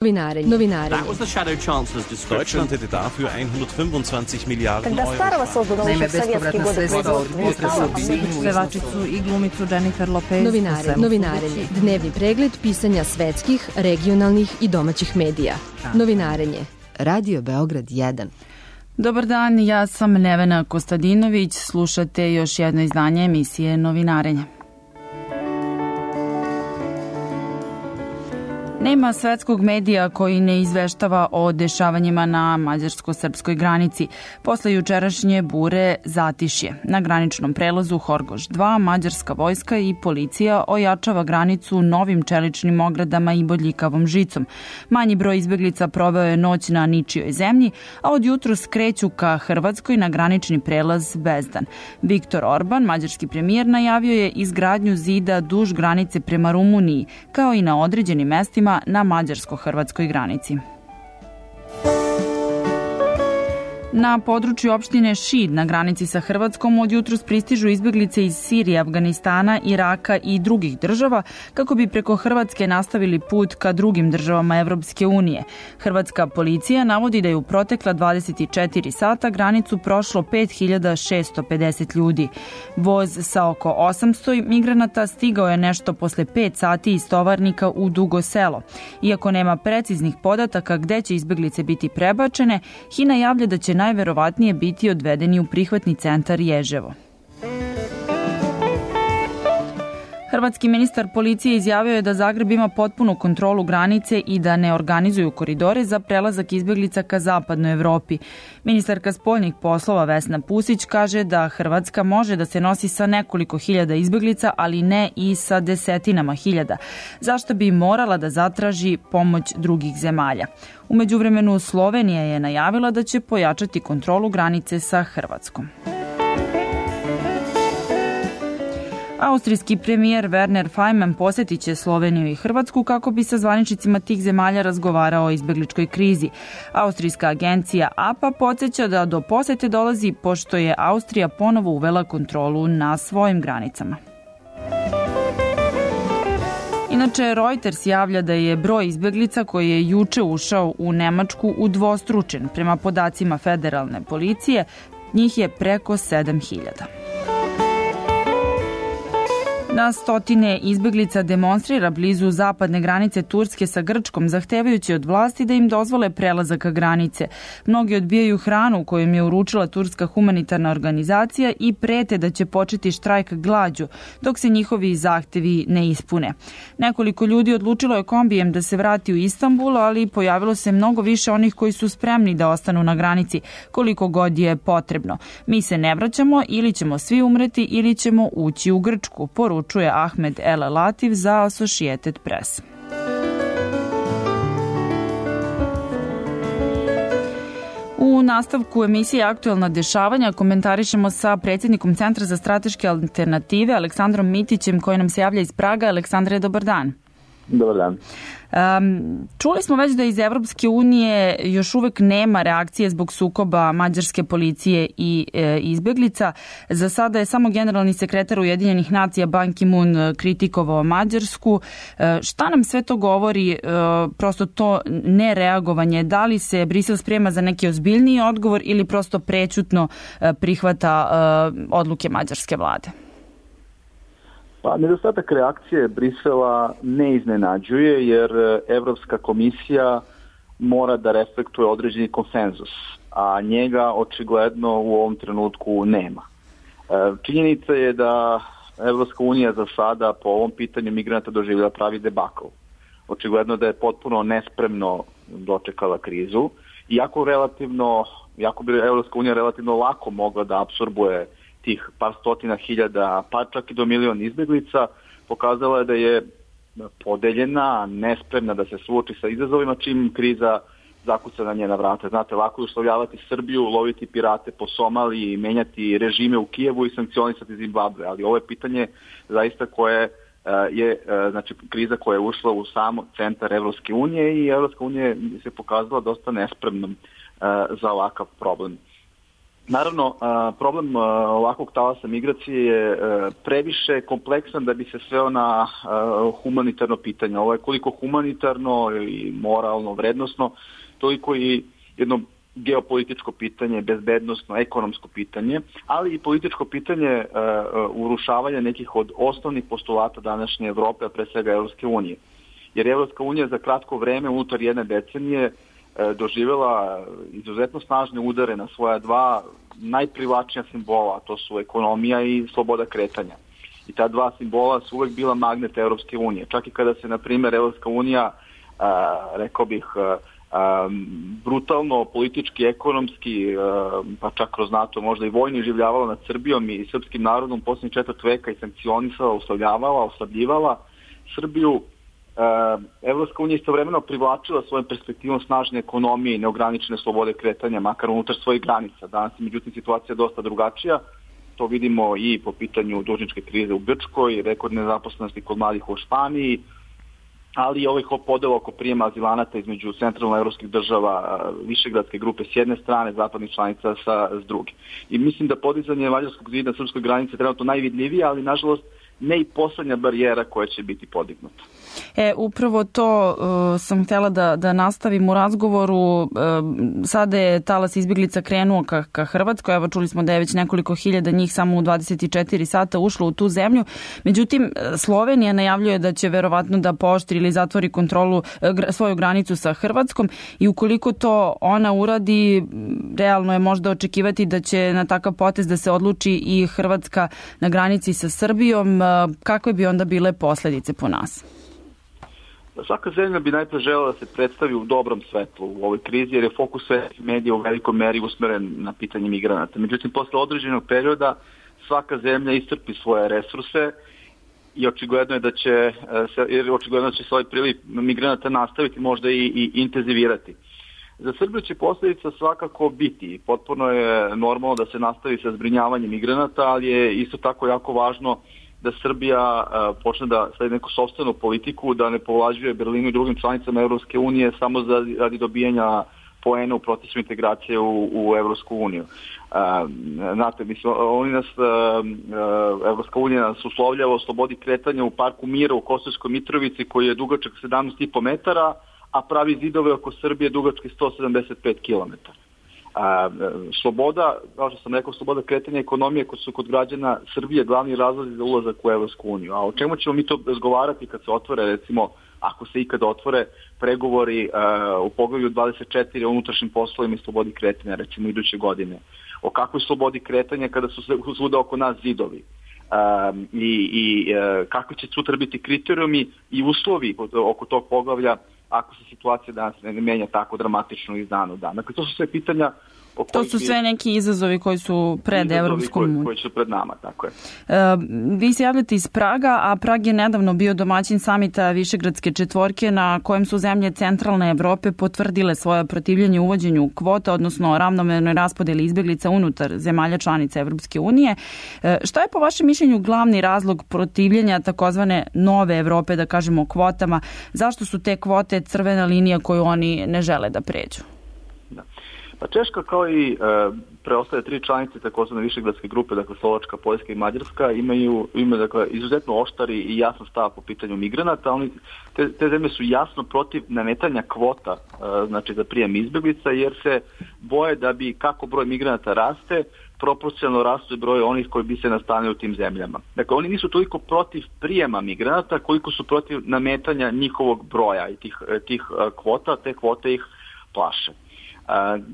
Novinarenje. Deutschland hätte dafür 125 Milijarden Euro. Naime, bespovratna sredstva od pevačicu i glumicu Jennifer Lopez. Novinarenje. Dnevni pregled pisanja svetskih, regionalnih i domaćih medija. Novinarenje. Radio Beograd 1. Dobar dan, ja sam Nevena Kostadinović. Slušate još jedno izdanje emisije Novinarenje. Nema svetskog medija koji ne izveštava o dešavanjima na mađarsko-srpskoj granici. Posle jučerašnje bure zatišje. Na graničnom prelazu Horgoš 2 mađarska vojska i policija ojačava granicu novim čeličnim ogradama i bodljikavom žicom. Manji broj izbeglica proveo je noć na ničijoj zemlji, a od jutros kreću ka Hrvatskoj na granični prelaz Bezdan. Viktor Orban, mađarski premijer, najavio je izgradnju zida duž granice prema Rumuniji, kao i na određenim mestima na mađarsko-hrvatskoj granici. Na području opštine Šid na granici sa Hrvatskom od jutros pristižu izbeglice iz Sirije, Afganistana, Iraka i drugih država kako bi preko Hrvatske nastavili put ka drugim državama Evropske unije. Hrvatska policija navodi da je u protekla 24 sata granicu prošlo 5650 ljudi. Voz sa oko 800 migranata stigao je nešto posle 5 sati iz Tovarnika u Dugo Selo. Iako nema preciznih podataka gde će izbeglice biti prebačene, HINA javlja da će najverovatnije biti odvedeni u prihvatni centar Ježevo. Hrvatski ministar policije izjavio je da Zagreb ima potpunu kontrolu granice i da ne organizuju koridore za prelazak izbeglica ka zapadnoj Evropi. Ministarka spoljnih poslova Vesna Pusić kaže da Hrvatska može da se nosi sa nekoliko hiljada izbeglica, ali ne i sa desetinama hiljada, zašto bi morala da zatraži pomoć drugih zemalja. U međuvremenu Slovenija je najavila da će pojačati kontrolu granice sa Hrvatskom. Austrijski premijer Werner Faymann posjetit će Sloveniju i Hrvatsku kako bi sa zvaničnicima tih zemalja razgovarao o izbegličkoj krizi. Austrijska agencija APA podsjeća da do posete dolazi pošto je Austrija ponovo uvela kontrolu na svojim granicama. Inače, Reuters javlja da je broj izbeglica koji je juče ušao u Nemačku udvostručen. Prema podacima federalne policije, njih je preko 7000. Na stotine izbeglica demonstrira blizu zapadne granice Turske sa Grčkom, zahtevajući od vlasti da im dozvole prelazak granice. Mnogi odbijaju hranu koju im je uručila Turska humanitarna organizacija i prete da će početi štrajk glađu, dok se njihovi zahtevi ne ispune. Nekoliko ljudi odlučilo je kombijem da se vrati u Istanbul, ali pojavilo se mnogo više onih koji su spremni da ostanu na granici, koliko god je potrebno. Mi se ne vraćamo, ili ćemo svi umreti, ili ćemo ući u Grčku, poručuje Ahmed El Latif za Associated Press. U nastavku emisije Aktuelna dešavanja komentarišemo sa predsjednikom Centra za strateške alternative Aleksandrom Mitićem koji nam se javlja iz Praga. Aleksandre, dobar dan. Dobar dan. Čuli smo već da iz Evropske unije još uvek nema reakcije zbog sukoba mađarske policije i izbeglica. Za sada je samo generalni sekretar Ujedinjenih nacija Ban Ki-moon kritikovao Mađarsku. Šta nam sve to govori, prosto to nereagovanje? Da li se Brisel sprema za neki ozbiljniji odgovor ili prosto prećutno prihvata odluke mađarske vlade? Pa, nedostatak reakcije Brisela ne iznenađuje jer Evropska komisija mora da reflektuje određeni konsenzus, a njega očigledno u ovom trenutku nema. Činjenica je da Evropska unija za sada po ovom pitanju migranata doživjela pravi debakl. Očigledno da je potpuno nespremno dočekala krizu, iako bi Evropska unija relativno lako mogla da apsorbuje tih par stotina hiljada, pa čak i do milion izbeglica, pokazala je da je podeljena, nespremna da se suoči sa izazovima čim kriza zakuca na njena vrata. Znate, lako je uslovljavati Srbiju, loviti pirate po Somaliji, menjati režime u Kijevu i sankcionisati Zimbabwe, ali ovo je pitanje zaista koje je kriza koja je ušla u samo centar Evropske unije i Evropska unija se pokazala dosta nespremnom za ovakav problem. Naravno, problem ovakvog talasa migracije je previše kompleksan da bi se sveo na humanitarno pitanje. Ovo je koliko humanitarno i moralno, vrednosno, toliko i jedno geopolitičko pitanje, bezbednosno, ekonomsko pitanje, ali i političko pitanje urušavanja nekih od osnovnih postulata današnje Evrope, a pre svega Evropske unije. Jer Evropska unija za kratko vreme, unutar jedne decenije, doživjela izuzetno snažne udare na svoja dva najprivlačnija simbola, a to su ekonomija i sloboda kretanja. I ta dva simbola su uvek bila magnet Evropske unije. Čak i kada se, na primjer, Evropska unija, rekao bih, brutalno, politički, ekonomski, pa čak kroz NATO možda i vojno življavala nad Srbijom i srpskim narodom posljednjih 4 veka i sankcionisala, oslabljivala Srbiju. Evropska unija istovremeno privlačila svojom perspektivom snažne ekonomije i neograničene slobode kretanja, makar unutar svojih granica. Danas je međutim situacija dosta drugačija. To vidimo i po pitanju dužničke krize u Grčkoj, rekordne nezaposlenosti kod mladih u Španiji, ali i ovih podela oko prijema azilanata između centralnoevropskih država, višegradske grupe s jedne strane, zapadnih članica s druge. I mislim da podizanje mađarskog zida na srpskoj granici je trenutno najvidljivije, ali nažalost ne i poslednja barijera koja će biti podignuta. Upravo to sam htjela da nastavim u razgovoru. Sada je talas izbjeglica krenuo ka Hrvatskoj. Evo, čuli smo da je već nekoliko hiljada njih samo u 24 sata ušlo u tu zemlju. Međutim, Slovenija najavljuje da će verovatno da pooštri ili zatvori svoju granicu sa Hrvatskom i ukoliko to ona uradi, realno je možda očekivati da će na takav potez da se odluči i Hrvatska na granici sa Srbijom. Kakve bi onda bile posljedice po nas? Svaka zemlja bi najpre želela da se predstavi u dobrom svetlu u ovoj krizi, jer je fokus svetskih medija u velikoj meri usmeren na pitanje migranata. Međutim, posle određenog perioda svaka zemlja iscrpi svoje resurse i očigledno je da će se ovaj priliv migranata nastaviti, možda i intenzivirati. Za Srbiju će posljedica svakako biti. Potpuno je normalno da se nastavi sa zbrinjavanjem migranata, ali je isto tako jako važno da Srbija počne da sledi neku sopstvenu politiku, da ne povlađuje Berlinu i drugim članicama Evropske unije samo radi dobijanja poena u procesu integracije u Evropsku uniju. Znate, Evropska unija nas uslovljava o slobodi kretanja u parku Mira u Kosovskoj Mitrovici koji je dugačak 17,5 metara, a pravi zidove oko Srbije dugački 175 kilometara. Sloboda, kao što sam rekao, sloboda kretanja ekonomije koji su kod građana Srbije glavni razlozi za ulazak u Evropsku uniju. A o čemu ćemo mi to razgovarati kad se otvore, recimo, ako se ikada otvore pregovori u poglavlju 24 o unutrašnjim poslovima i slobodi kretanja, recimo iduće godine? O kakvoj slobodi kretanja kada su svuda oko nas zidovi? I kakvi će sutra biti kriterijumi i uslovi oko tog poglavlja ako se situacija danas ne menja tako dramatično iz dana u dan. Dakle, to su sve pitanja to su sve neki izazovi koji su pred Evropskom unijom. Koji su pred nama, tako je. Vi se javljate iz Praga, a Prag je nedavno bio domaćin samita Višegradske četvorke na kojem su zemlje centralne Evrope potvrdile svoje protivljenje uvođenju kvota, odnosno ravnomernoj raspodeli izbjeglica unutar zemalja članica Evropske unije. Šta je po vašem mišljenju glavni razlog protivljenja takozvane nove Evrope, da kažemo kvotama? Zašto su te kvote crvena linija koju oni ne žele da pređu? Da. Pa Češka kao i preostale 3 članice takozvane Višegradske grupe, dakle Slovačka, Poljska i Mađarska, imaju dakle, izuzetno oštari i jasan stav po pitanju migranata. Te zemlje su jasno protiv nametanja kvota, znači za prijem izbjeglica, jer se boje da bi kako broj migranata raste, proporcionalno raste broj onih koji bi se nastanili u tim zemljama. Dakle, oni nisu toliko protiv prijema migranata koliko su protiv nametanja njihovog broja i tih kvota, te kvote ih plaše.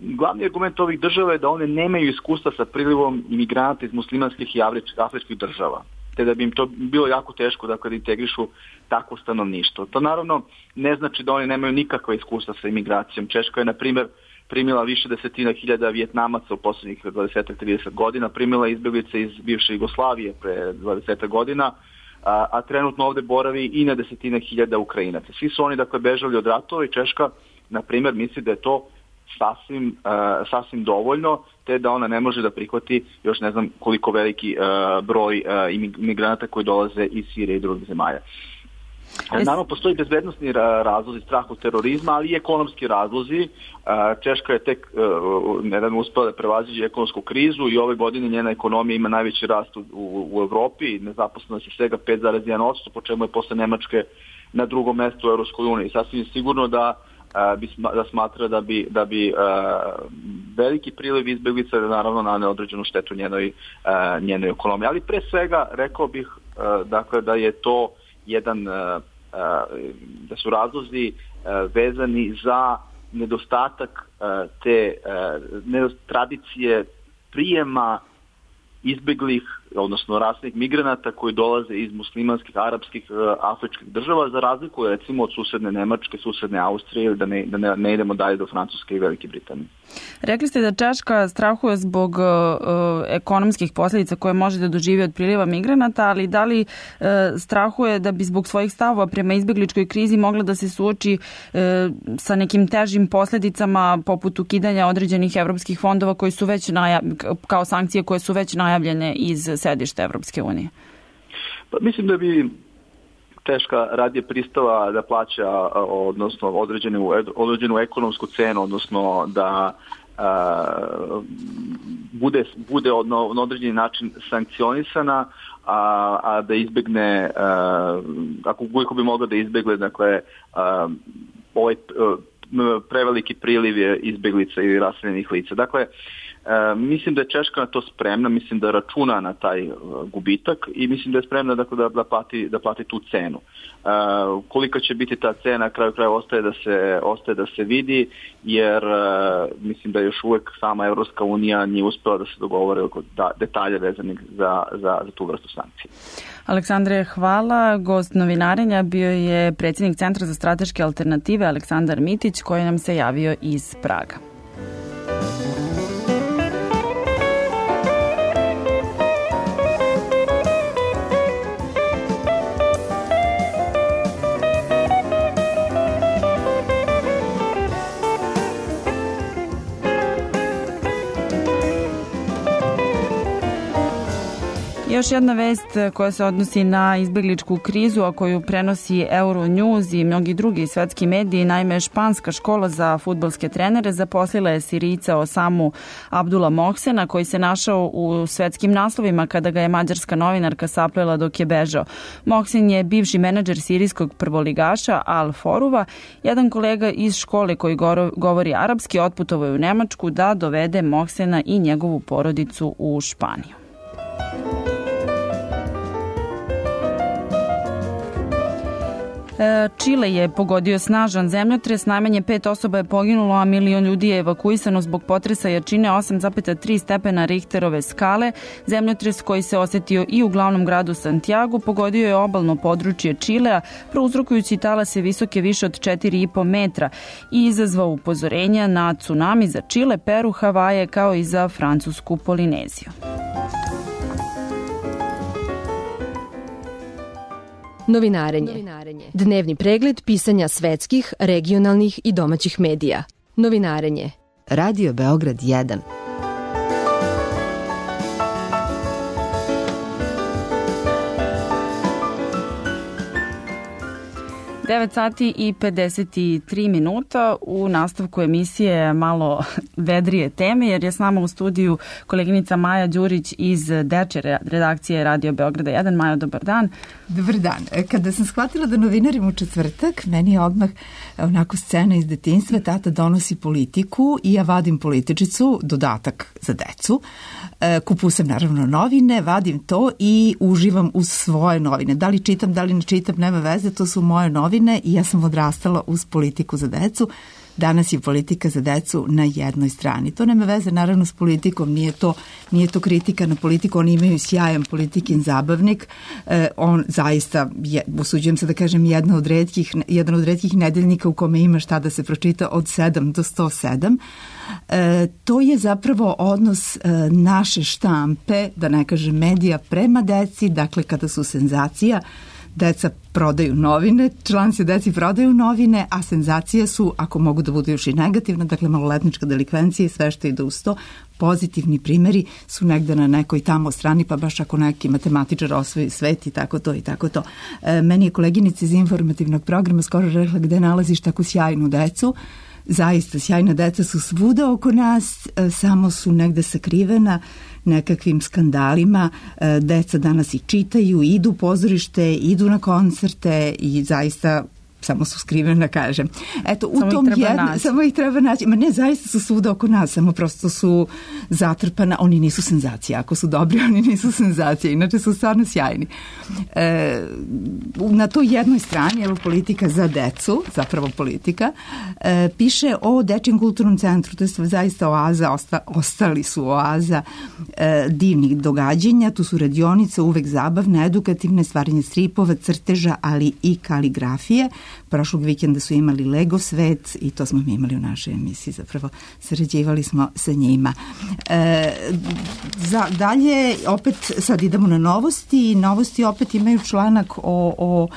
Glavni argument ovih država je da one nemaju iskustva sa prilivom imigranata iz muslimanskih i afričkih država, te da bi im to bilo jako teško da integrišu takvo stanovništvo. To naravno ne znači da oni nemaju nikakva iskustva sa imigracijom. Češka je, na primjer, primila više desetina hiljada Vijetnamaca u posljednjih 20-30 godina, primila izbjeglice iz bivše Jugoslavije pre 20 godina, a trenutno ovdje boravi i na desetine hiljada Ukrajinaca. Svi su oni bežali od ratova i Češka, na primjer, misli da je to sasvim dovoljno, te da ona ne može da prihvati još ne znam koliko veliki broj imigranata koji dolaze iz Sirije i drugih zemalja. Naravno, postoji bezbednosni razlozi, strah od terorizma, ali i ekonomski razlozi. Češka je tek nedavno uspela da prevaziđe ekonomsku krizu i ove godine njena ekonomija ima najveći rast u Evropi, nezaposlenost je svega 5,1%, po čemu je posle Nemačke na drugom mestu u Evropskoj uniji. Sasvim sigurno da smatra da bi veliki priliv izbeglica naravno na neodređenu štetu njenoj ekonomiji. Ali pre svega rekao bih dakle da je to da su razlozi vezani za nedostatak te tradicije prijema izbeglih, odnosno rasnih migranata koji dolaze iz muslimanskih, arapskih, afričkih država, za razliku recimo od susedne Nemačke, susedne Austrije ili da ne idemo dalje do Francuske i Velike Britanije. Rekli ste da Češka strahuje zbog ekonomskih posljedica koje može da doživi od priliva migranata, ali da li strahuje da bi zbog svojih stavova prema izbegličkoj krizi mogla da se suoči sa nekim težim posljedicama poput ukidanja određenih evropskih fondova koji su već kao sankcije koje su već najavljene iz sedišta Evropske unije? Pa mislim da bi Češka radije pristala da plaća odnosno određenu ekonomsku cenu, odnosno da bude na određeni način sankcionisana, a da izbegne, ako bi mogla da izbegle, dakle, ovaj preveliki priliv izbeglica ili raseljenih lica. Dakle, mislim da je Češka na to spremna, mislim da računa na taj gubitak i mislim da je spremna da plati tu cenu. Kolika će biti ta cena, na kraju kraja ostaje da se vidi, jer mislim da još uvek sama Evropska unija nije uspela da se dogovore oko detalja vezanih za tu vrstu sankcije. Aleksandre, hvala. Gost novinarenja bio je predsjednik Centra za strateške alternative Aleksandar Mitić, koji nam se javio iz Praga. Još jedna vest koja se odnosi na izbegličku krizu, a koju prenosi Euronews i mnogi drugi svetski mediji. Naime, španska škola za fudbalske trenere zaposlila je Sirijca Osamu Abdula Mohsena, koji se našao u svetskim naslovima kada ga je mađarska novinarka saplela dok je bežao. Mohsen je bivši menadžer sirijskog prvoligaša Al Foruva. Jedan kolega iz škole koji govori arapski otputovao je u Nemačku da dovede Mohsena i njegovu porodicu u Španiju. Čile je pogodio snažan zemljotres, najmanje 5 osoba je poginulo, a 1 milion ljudi je evakuisano zbog potresa jačine 8,3 stepena Richterove skale. Zemljotres koji se osetio i u glavnom gradu Santiagu pogodio je obalno područje Čilea, prouzrokujući talase visoke više od 4,5 metra i izazvao upozorenja na tsunami za Čile, Peru, Havaje kao i za Francusku Polineziju. Novinarenje. Dnevni pregled pisanja svetskih, regionalnih i domaćih medija. Novinarenje. Radio Beograd 1. 9 sati i 53 minuta. U nastavku emisije malo vedrije teme, jer je s nama u studiju koleginica Maja Đurić iz dečje redakcije Radio Beograda 1. Maja, dobar dan. Dobar dan. Kada sam shvatila da novinarim u četvrtak, meni je odmah onako scena iz detinjstva, tata donosi politiku i ja vadim političicu, dodatak za decu. Kupujem sam naravno novine, vadim to i uživam uz svoje novine. Da li čitam, da li ne čitam, nema veze, to su moje novine i ja sam odrastala uz politiku za decu. Danas je politika za decu na jednoj strani. To nema veze naravno s politikom, nije to kritika na politiku, oni imaju sjajan politikin zabavnik. On zaista, usuđujem se da kažem, jedan od retkih nedeljnika u kome ima šta da se pročita od 7 do 107. To je zapravo odnos naše štampe, da ne kažem medija, prema deci, dakle kada su senzacija, deca prodaju novine, članci deci prodaju novine, a senzacije su, ako mogu da budu još i negativne, dakle maloletnička delikvencija i sve što ide uz to. Pozitivni primjeri su negde na nekoj tamo strani, pa baš ako neki matematičar osvoji svet i tako to i tako to. Meni je koleginica iz informativnog programa skoro rekla gde nalaziš tako sjajnu decu. Zaista, sjajna deca su svuda oko nas, samo su negde sakrivena nekakvim skandalima. Deca danas i čitaju, idu u pozorište, idu na koncerte i zaista samo su skrivena, kažem. Eto, samo ih treba naći. Ma ne, zaista su svuda oko nas, samo prosto su zatrpana. Oni nisu senzacija. Ako su dobri, oni nisu senzacija. Inače su stvarno sjajni. Na toj jednoj strani, evo politika za decu, zapravo politika, piše o Dečijem kulturnom centru. To je zaista oaza, ostali su oaza divnih događanja. Tu su radionice, uvek zabavne, edukativne, stvaranje stripova, crteža, ali i kaligrafije. Prošlog vikenda su imali Lego svet i to smo mi imali u našoj emisiji, zapravo sarađivali smo sa njima. Dalje, opet sad idemo na novosti. Novosti opet imaju članak o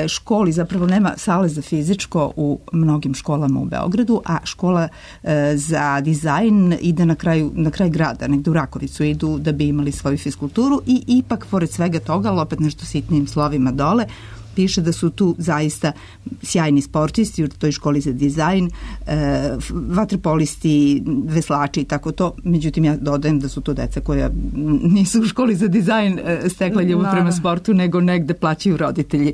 školi, zapravo nema sale za fizičko u mnogim školama u Beogradu, a škola za dizajn ide na kraj grada, negde u Rakovicu idu da bi imali svoju fiskulturu i ipak, pored svega toga, ali opet nešto sitnim slovima dole, piše da su tu zaista sjajni sportisti u toj školi za dizajn, vaterpolisti, veslači i tako to. Međutim, ja dodajem da su to deca koja nisu u školi za dizajn stekla ljubav prema sportu, nego negde plaćaju roditelji.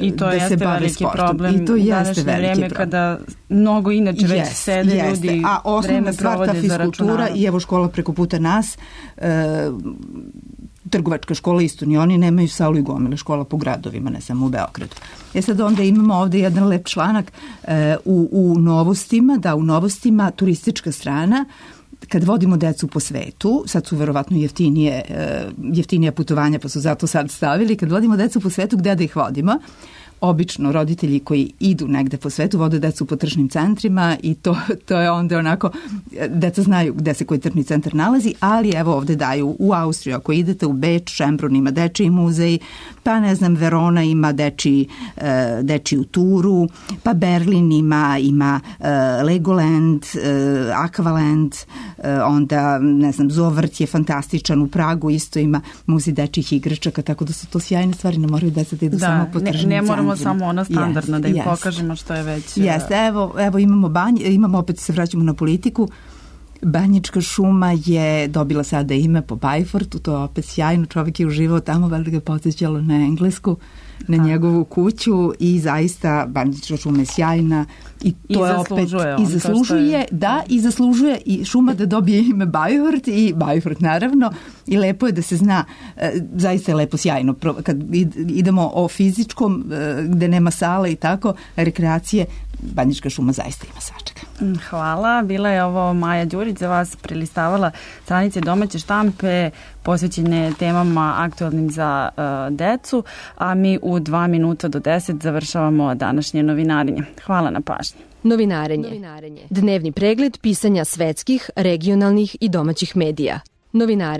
I to jeste veliki problem u današnje vreme kada mnogo inače već sede ljudi, a osnovna stvar ta fiskultura i evo škola preko puta nas, trgovačka škola isto, ni oni nemaju salu i gomile škola po gradovima, ne samo u Beogradu. Sad onda imamo ovde jedan lep članak u novostima, u novostima turistička strana, kad vodimo decu po svetu, sad su verovatno jeftinija putovanja, pa su zato sad stavili, kad vodimo decu po svetu, gde da ih vodimo? Obično roditelji koji idu negde po svetu vode decu po tržnim centrima i to je onda onako, deca znaju gde se koji tržni centar nalazi, ali evo ovde daju u Austriju, ako idete u Beč, Šembrun ima dečiji muzej, pa ne znam, Verona ima dečiju turu, pa Berlin ima Legoland, Aqualand, onda ne znam, Zoovrt je fantastičan, u Pragu isto ima muzej dečjih igračaka, tako da su to sjajne stvari, ne moraju deca da idu samo po tržnim centrima. Samo ono standardno da im pokažemo što je već... Jeste, evo imamo opet se vraćamo na politiku. Banjička šuma je dobila sada ime po Bajfortu, to je opet sjajno, čovjek je uživao tamo, valjda ga podsjećalo na Englesku, na njegovu kuću i zaista Banjička šuma je sjajna i to je opet i zaslužuje i šuma da dobije ime Bajfort i Bajfort naravno i lepo je da se zna, zaista je lepo sjajno kad idemo o fizičkom gde nema sale i tako, rekreacije, Banjička šuma zaista ima svačega. Hvala, bila je ovo Maja Đurić za vas prelistavala stranice domaće štampe posvećene temama aktualnim za decu, a mi u 2 minuta do 10 završavamo današnje novinarenje. Hvala na pažnji. Novinarenje. Dnevni pregled pisanja svetskih, regionalnih i domaćih medija. Novinarenje.